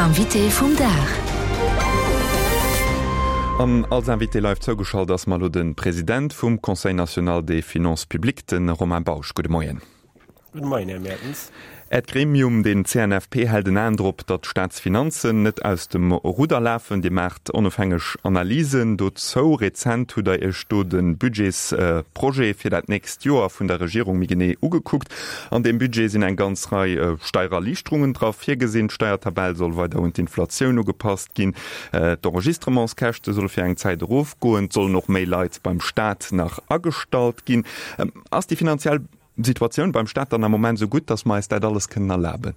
Invité vum Dag. An als Invité live zougeschalt ass mer elo de President vum Conseil national des finances publiques, de Romain Bausch. Gudde Moien. Gudde Moien, Här Mertens. Äert Gremium, den CNFP, hält en Aen drop, datt d'Staatsfinanzen net aus dem Rudder lafen. Dir maacht onofhängeg Analysen dozou. Rezent hutt Der Iech do de Budgetsprojet fir dat nächst Joer vun der Regierung méi genee ugekuckt. An deem Budget sinn eng ganz Rei Steiererliichterungen dra virgesinn. D'Steiertabell soll weider un d'Inflatioun ugepasst ginn. D'Enregistrementskäschte solle fir eng Zäit erofgoen. Et sollen och méi Leit beim Staat nach agestallt ginn. Ass déi finanziell Situatioun beim Staat dann am Moment esou gutt, datt mer eis dat alles kënnen erlaben?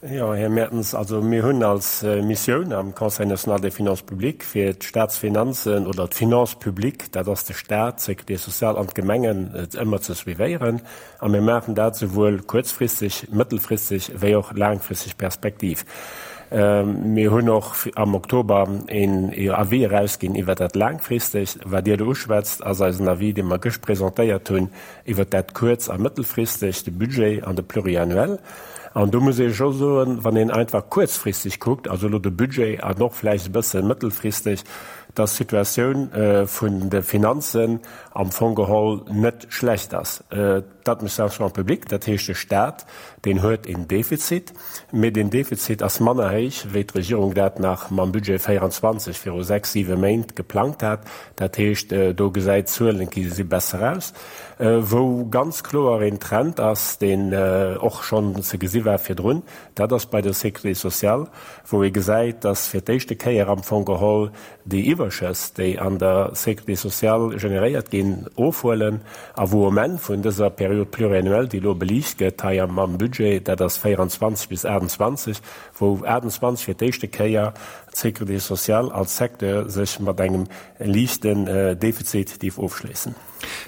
Jo, Här Mertens, also mir hunn als Missioun am Conseil national des finances publiques, fir d'Staatsfinanzen oder d'Finances publiques, dat ass de Staat, d'Sécurité sociale an d'Gemengen, ëmmer ze suivéieren. A mir maachen dat souwuel kuerzfristeg, mëttelfristeg wéi och laangfristeg Perspektiv. Mir hunn och am Oktober een Avis erausginn iwwer dat Laangfristegt. Wat Dir elo uschwätzt, ass eisen Avis, dee mer gëscht presentéiert hunn, iwwer dat Kuerz a Mëttelfristegt, de Budget an de Pluriannuel. An do muss ee scho soen, wann een einfach kuerzfristeg kuckt, also elo de Budget an och vläicht e bësse mëttelfristeg, dass d'Situatioun vun de Finanzen am Fong geholl net schlecht ass. D'Administration publique, dat heescht de Staat, deen huet een Defizit, mee deen Defizit ass manner héich, wéi d'Regierung dat nach mam Budget 24 viru sechs, siwe Méint geplangt hat. Dat heescht, do gesäit d'Zuelen gi si besser aus. Wou ganz kloer een Trend ass, deen och schonn ze gesi war virdrun, dat ass bei der Sécurité sociale, wou ee gesäit, dass fir d'éischte Kéier am Fong geholl déi Iwwerschëss, déi an der Sécurité sociale generéiert ginn, ofhuelen a wou um Enn vun dëser Période pluriannuelle, déi elo beliicht gëtt hei am Budget, dat ass 24 bis 28, wou 28 fir d'éischte Kéier d'Sécurité sociale als Secteur sech mat engem liichten Defizit dierf ofschléissen.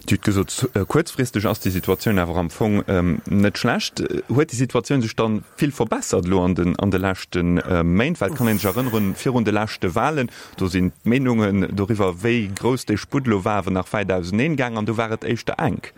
Dir hutt gesot, kuerzfristeg ass déi Situatioun awer am Fong net schlecht. Huet déi Situatioun sech dann vill verbessert elo an den an de leschte Méint? Well et kann een sech erënneren, virun de leschte Wahlen, do sinn d'Meenungen doriwwer, wéi grouss dee Sputt elo war, awer nach wäit auseneen gaang an do war et éischter enk.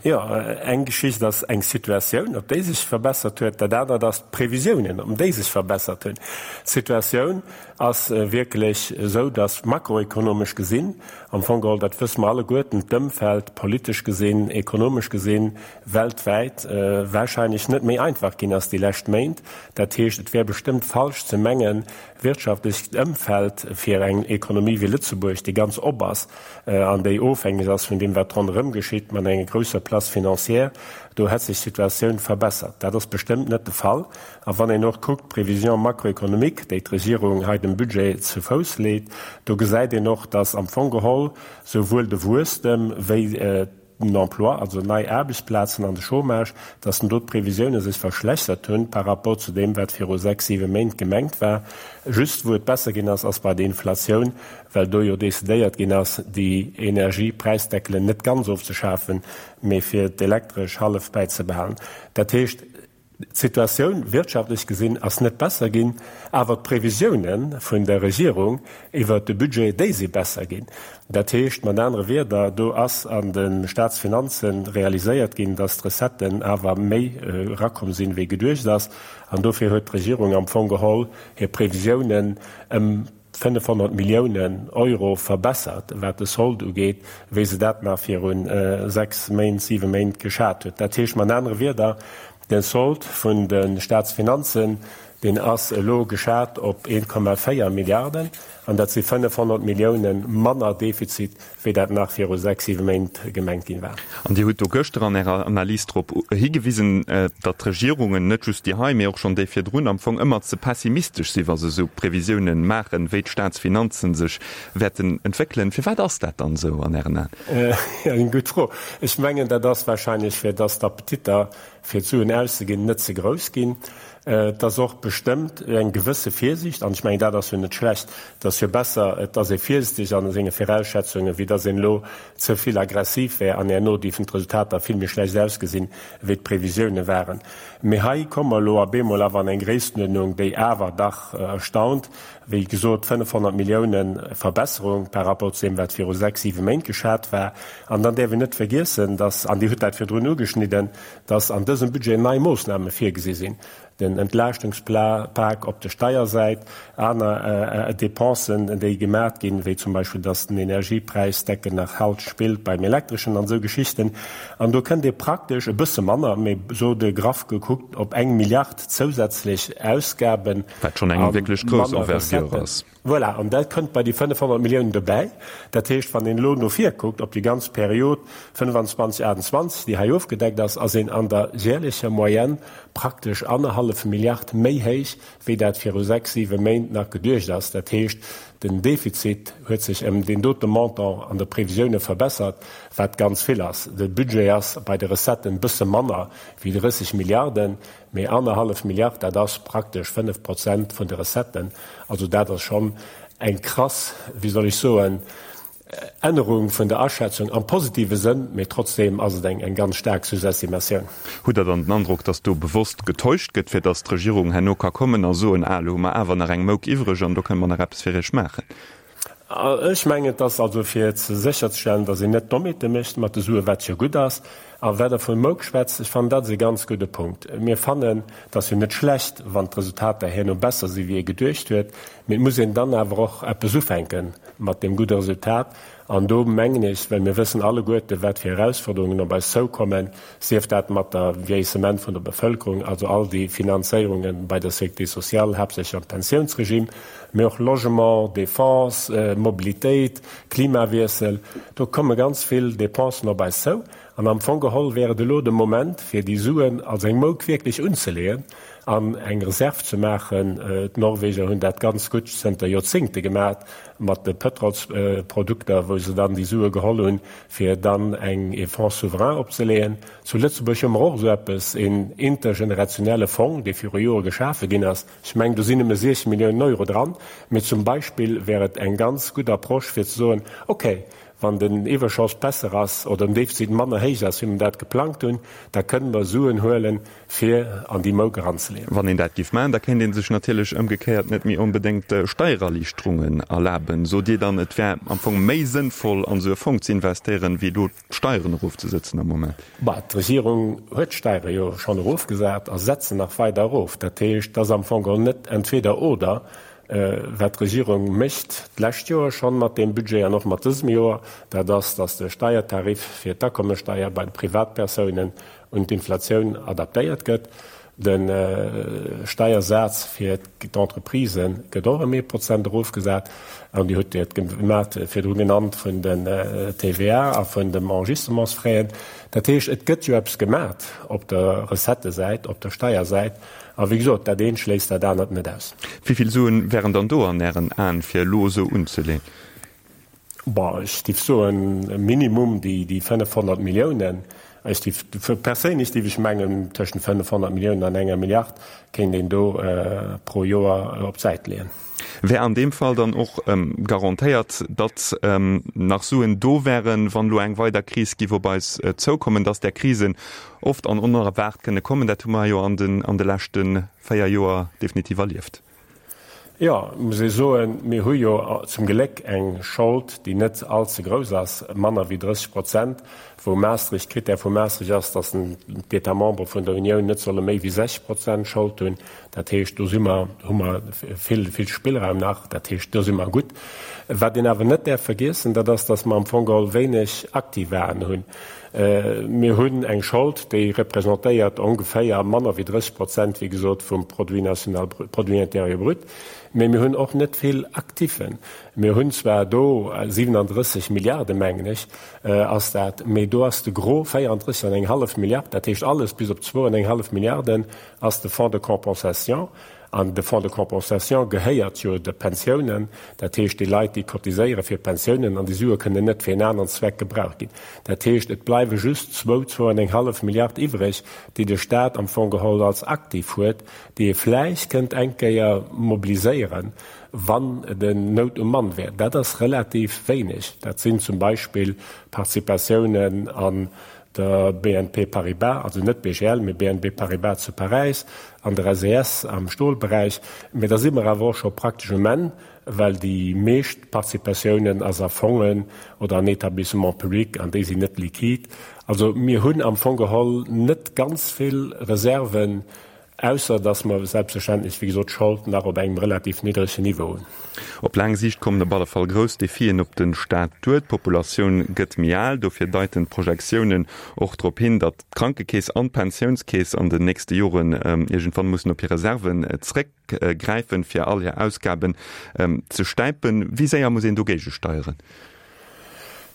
Jo, eng Geschicht ass eng Situatioun, ob déi sech verbessert huet. Dat anert ass d'Previsiounen, ob déi sech verbessert hunn. D'Situatioun ass wierklech esou, datt makroekonomesch gesinn, am Fong geholl, dat wësse mer alleguerten, d'Ëmfeld politesch gesinn, ekonomesch gesinn, weltwäit wahrscheinlech net méi einfach ginn ass déi lescht Méint. Dat heescht, et wär bestëmmt falsch ze mengen, wirtschaftlecht Ëmfeld fir eng Ekonomie wéi Lëtzebuerg, déi ganz op ass, an déi ofhängeg ass vun deem, wat ronderëm geschitt, mat enger grousser Place financière, do hätt sech d'Situatioun verbessert. Dat ass bestëmmt net de Fall. A wann een och kuckt, d'Prévisions macroéconomiques, déi d'Regierung hei dem Budget zu Fouss leet, do gesäit een och, dass am Fong geholl souwuel de Wuesstem wéi den Emploi, also nei Aarbechtsplazen, an de Chômage, dass do d'Previsiounen sech verschlechtert hunn par rapport zu deem, wat viru sechs, siwe Méint gemengt war. Just wou et besser ginn ass, ass bei der Inflatioun, well do jo decidéiert ginn ass, déi Energiepräisdeckelen net ganz ofzeschafen, mee fir d'Elektresch hallef bäizebehalen. Dat heescht, d'Situatioun wirtschaftlech gesinn ass net besser ginn, awer d'Previsioune vun der Regierung iwwert de Budget, déi si besser ginn. Dat heescht mat anere Wierder, do ass an de Staatsfinanze realiséiert ginn, datt d'Recetten awer méi erakomm sinn, wéi geduecht ass. An dofir huet d'Regierung am Fong geholl hir Previsiounen ëm 500 Milliounen Euro verbessert, wat de Solde ugeet, wéi se dat nach viru 6 Méint, 7 Méint geschat huet. Dat heescht mat anere Wierder, de Solde vun de Staatsfinanzen, deen ass elo geschat op 1,4 Milliarden, an dat si 500 Millioune manner Defizit, wéi dat nach viru 6, 7 Méint gemengt ginn war. An Dir hutt do gëschter an Ärer Analys drop higewisen, datt d'Regierungen, net just déi hei, mee och schonn déi virdrun, am Fong ëmmer ze pessimistesch sinn, wa se esou Previsiounen maachen, wéi d'Staatsfinanzen sech wäerten entwéckelen. Firwat ass dat dann esou an Ären Aen? Eng gutt Fro. Ech mengen, dat ass wahrscheinlech, fir datt d'Appetitter fir d'Suen auszeginn, net ze grouss ginn. Et ass och bestëmmt eng gewësse Virsiicht, an ech mengen, dat ass jo net schlecht. Et ass jo besser, et ass ee virsiichteg a senge Virausschätzungen, wéi datt een elo ze vill aggressiv wär an herno géifen d'Resultater vill méi schlecht ausgesinn, wéi d'Previsiounen waren. Mee hei komme mer elo op eemol awer an eng Gréisstenuerdnung, déi awer dach erstaunt. Wéi gesot, 500 Milliounen Verbesserung par rapport zu deem, wat viru sechs, siwe Méint geschat war. An dann däerf een net vergiessen, dass, an Dir hutt dat virdrun ugeschnidden, dass an dësem Budget nei Moossname virgesi sinn. Den Entlaaschtungspak op der Steiersäit, aner Dépensen, déi gemat ginn, wéi zum Beispill, dass den Energiepräisdeckel nach halt spillt beim Elektreschen an esou Geschichten. An do kënnt ee praktesch e bësse manner, mee sot e graff gekuckt, op eng Milliard zousätzlech Ausgaben Wat schonn eng a wierklech grouss manner Envergure Recetten. ass. Voilà, an dat kënnt bei déi 500 Milliounen dobäi. Dat heescht, wann een elo no vir kuckt op déi ganz Period 25, 28, déi hei ofgedeckt ass, ass een an der jährlecher Moyenne praktesch annerhallef Milliard méi héich, wéi dat viru sechs, siwe Méint nach geduecht ass. Dat heescht, den Defizit huet sech ëm deen dote Montant an de Previsioune verbessert, wat ganz vill ass. De Budget ass bei de Recetten e bësse manner wéi 30 Milliarden. Mee annerhallef Milliard, dat ass praktesch 5 Prozent vun de Recetten. Also dat ass schonn eng krass, wéi soll ech soen, Ännerung vun der Aschätzung am positive Sënn, mee trotzdeem ass et eng ganz staark Sous-estimatioun. Hutt Der dann den Androck, datt do bewosst getäuscht gëtt, fir datt d'Regierung herno ka kommen a soen, ah, elo hu mer awer nach eng Mouk iwwreg an do kënne mer nach eppes fir Iech maachen? Ech mengen, et ass also fir sécherzestellen, datt een net Dommheete mécht mat de Suen, wat jo gutt ass. A wat Der vu Mouk schwätzt, ech fannen, dat ass e ganz gudde Punkt. Mir fannen, et ass jo net schlecht, wann d'Resultater herno besser si wéi ee geduecht huet, mee et muss een dann awer och eppes ufänke mat deem gudde Resultat. An do mengen ech, well mir wëssen alleguerte wat fir Erausforderungen op eis zoukommen, sief dat mat der Vieillissement vun der Bevëlkerung, also all déi Finanzéierunge bei der Sécurité sociale, haaptsächlech am Pensiounsregime, mee och Logement, Défense, Mobilitéit, Klimawiessel, do komme ganz vill Dépensen op eis zou. An am Fong geholl wär et elo de Moment, fir déi Suen als eng Mouk wierklech unzeleeën an eng Reserv ze maachen. D'Norweger hunn dat ganz gutt zënter Joerzéngte gemaach mat de Pëtrolsprodukter, wou se dann déi Sue geholl hunn, fir dann eng ee Fonds souverain opzeleeën. Zu Lëtzebuerg hu mer och esou eppes, een intergenerationelle Fong, dee viru Jore geschafe ginn ass. Ech mengen, do sinn nëmme 16 Milliounen Euro dran, mee zum Beispill wär et eng ganz gutt Approche fir ze soen, okay, wann den Iwwerschoss besser ass oder den Defizit manner héich ass, wéi mer dat geplangt hunn, da kënnen mer Suen huelen, fir an déi Mouk eranzeleeën. Wann een dat géif maachen, da kéint ee sech natierlech ëmgekéiert net méi onbedéngt Steiererliichterungen erlaben. Sot Dir dann, et wär am Fong méi sënnvoll, an esou e Fong ze investéieren, wéi elo d'Steieren erofzesëtzen am Moment? Bah, d'Regierung huet d'Steiere jo schonn erofgesat a setzt se nach weider erof. Dat heescht, et ass am Fong geholl net entweder oder, wat d'Regierung mécht d'lescht Joer schonn mat deem Budget an och mat dësem Joer, dat ass, datt de Steiertarif fir d'Akommessteier bei de Privatpersounen un d'Inflatioun adaptéiert gëtt. De Steiersaz fir d'Entreprisë gëtt och ëm ee Prozent erofgesat. An Dir hutt et gemat virdru genannt vun den TVA a vun dem Enregistrements-Fräen. Dat heescht, et gëtt jo eppes gemat op der Recettësäit, op der Steiersäit. A wéi gesot, dat eent schléisst dat anert net aus. Wéi vill Suen wären dann do an Ären Aen, fir elo esou unzeleeën? Bon, ech géif soen, minimum déi 500 Milliounen. Ech géif, perséinlech géif ech mengen, tëschent 500 Milliounen an enger Milliard kéint een do pro Joer op d'Säit leeën. Wär an deem Fall dann och garantéiert, datt nach Suen do wären, wann elo eng weider Kris giff op eis zoukommen, datt där Krisen oft an onerwaart kënne kommen? Dat hu mer jo an de leschte 4 Joer definitiv erlieft. Jo, muss ee soen, mir hu jo zum Gléck eng Schold, déi net all ze grouss ass, manner wéi 30 Prozent, wou Maastricht, Critère vu Maastricht ass, datt d'États membres vun der Unioun net solle méi wéi 60 Prozent Schold hunn. Dat heescht, do si mer, hu mer vill, vill Spillraum nach. Dat heescht, do si mer gutt. Wat een awer net däerf vergiessen, dat ass, datt mer am Fong geholl wéineg Aktivaen hunn. Mir hunn eng Schold, déi representéiert ongeféier manner wéi 30 Prozent, wéi gesot, vum Produit national brut, Produit intérieur brut. Mee mir hunn och net vill Actifen. Mir hunn zwar do 37 Milliarden, mengen ech, ass dat, mee do ass de Gros 34 an eng hallef Milliard, dat heescht alles bis op zwou an eng hallef Milliarden ass de Fonds de compensation. An de Fonds de compensation gehéiert jo de Pensiounen, dat heescht déi Leit, déi cotiséiere fir Pensiounen, an déi Sue kënnen net fir en aneren Zweck gebraucht ginn. Dat heescht, et bleiwe just zwou, zwou an eng hallef Milliard iwwreg, déi de Stat am Fong geholl als Aktiv huet, déi e vläicht kënnt eng Kéier mobiliséieren, wann den Nout um Mann wär. Dat ass relativ wéineg. Dat sinn zum Beispill Participatiounen an der BNP Paribas, also net BGL, mee BNB Paribas zu Paräis, an der SES am Stolberäich. Mee da si mer awer och scho praktesch um Enn, well déi meescht Participatiounen ass a Fongen oder an Établissements publics an déi sinn net liquid. Also mir hunn am Fong geholl net ganz vill Reserven. Ausser dass mer selbstverständlech, wéi gesot, d'Schold nach op engem relativ niddregen Niveau hunn. Op laang Siicht kommen op alle Fall grouss Defien op de Staat duer. D'Populatioun gëtt méi al. Dofir deiten d'Projektiounen och drop hin, datt d'Krankekeess an d'Pensiounskeess an den nächste Joren iergendwann mussen op hir Reserven zréckgräifen, fir all hir Ausgaben ze stäipen. Wéi séier muss een do géigesteieren?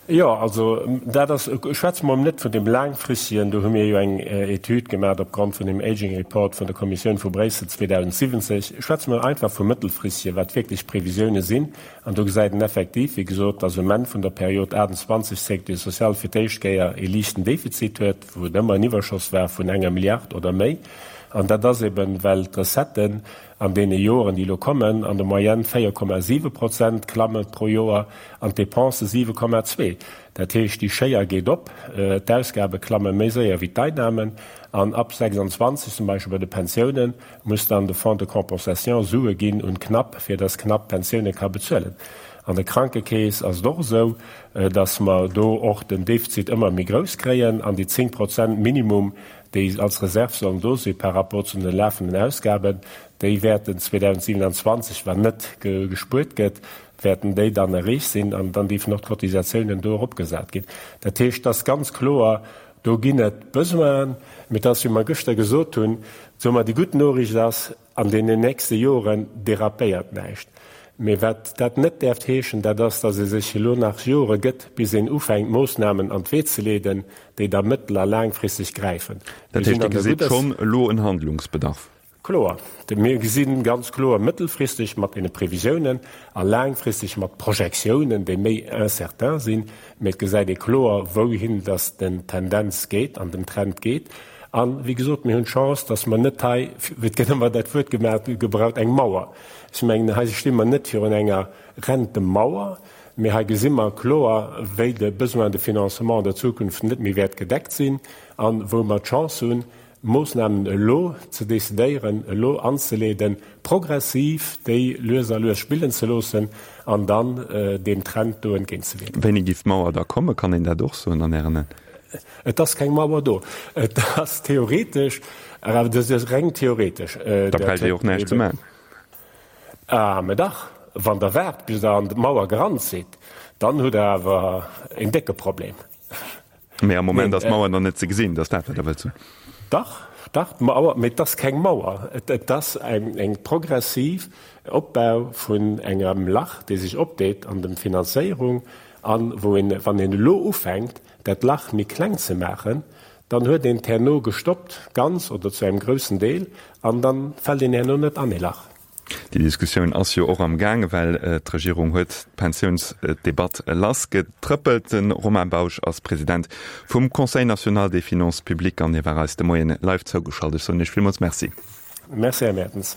Jo, also dat ass, schwätze mer net vun deem laangfristegen, do hu mir jo eng Etüd gemaach opgrond vun dem Aging Report vun der Kommissioun vu Bréissel 2070, schwätze mer einfach vum mëttelfristegen, wat wierklech d'Previsioune sinn. An do gesäit een effektiv, wéi gesot, dass um Enn vun der Period 28 d'Sécurité sociale fir d'éischt Kéier ee liichten Defizit huet, wou et ëmmer en Iwwerschoss war vun enger Milliard oder méi. An dat ass eben, well d'Recetten an deene Joren, déi elo kommen, an der Moyenne 4,7 Prozent klamme pro Joer an d'Dépense 7,2. Dat heescht, déi Schéier geet op, d'Ausgabe klamme méi séier wéi d'Einnahmen an ab 26, zum Beispill bei de Pensiounen, muss dann de Fonds de compensation Sue ginn un d'Knapp, fir dass d'Knapp d'Pensioune ka bezuelen. An der Krankekeess ass et och esou, dass mer do och den Defizit ëmmer méi grouss kréien an déi 10 Prozent Minimum, déi als Reserv sollen do si par rapport zu den lafenden Ausgaben, déi wäerten 2027, wann net gespuert gëtt, wäerten déi dann erreecht sinn an dann dierfen och d'Cotisatiounen do eropgesat ginn. Dat heescht, et ass ganz kloer, do ginn et Besoinen, mee et ass, wéi mer gëschter gesot hunn, soe mer, déi gutt Noriicht ass, An deenen nächste Joren derapéiert näischt. Mee wat dat net däerft heeschen, dat ass, datt ee sech elo nach Jore gëtt, bis een ufänkt, Moossnamen an d'Wee ze leeden, déi da mëttel a laangfristeg gräifen. Dat heescht, Dir gesitt schonn elo en Handlungsbedarf? Kloer. Mir gesi ganz kloer mëttelfristeg mat deene Previsiounen a laangfristeg mat Projektiounen, déi méi incertain sinn. Mee et gesäit ee kloer, wouhin datt den Tendenz geet an den Trend geet. An, wéi gesot, mir hunn d'Chance, dass mer net hei, et gëtt ëmmer dat Wuert gemaach, gebraucht, eng Mauer. Ech mengen, hei sti mer net virun enger Rentemauer, mee hei gesi mer kloer, wéi de Besoin de financement an der Zukunft net méi wäert gedeckt sinn a wou mer d'Chance hunn, Moosnamen elo ze decidéieren, elo anzeleeden, progressiv déi lues a lues spillen ze loossen an dann deem Trend do entgéintzewierken. Wéini géif d'Mauer da kommen? Kann een dat och soen an Ären Aen? Et ass keng Mauer do. Et ass theoretesch, awer dat ass reng theoretesch. Da bräicht Dir och näischt ze maachen. Ah, mä dach, wann Der waart, bis Der an d'Mauer gerannt sidd, dann hutt Der awer een décke Problem. Mä am Moment ass d'Mauer nach net ze gesinn, dat ass dat, wat Der wëllt soen? Dach, dach, d'Mauer, mä et ass keng Mauer. Et ass eng progressiv Opbau vun engem Lach, dee sech opdeet an dem Finanzéierung an wou een, wann een elo ufänkt, dat Lach méi kleng ze maachen, dann huet een et herno gestoppt, ganz oder zu engem groussen Deel, an dann fält een herno net an ee Lach. Déi Diskussioun ass jo och am gaange, well d'Regierung huet d'Pensiounsdebatt lassgetrëppelt. De Romain Bausch ass President vum Conseil national des finances publiques an hie war eis de Moien live zougeschalt. Ech soen Iech villmools Merci. Merci, Här Mertens.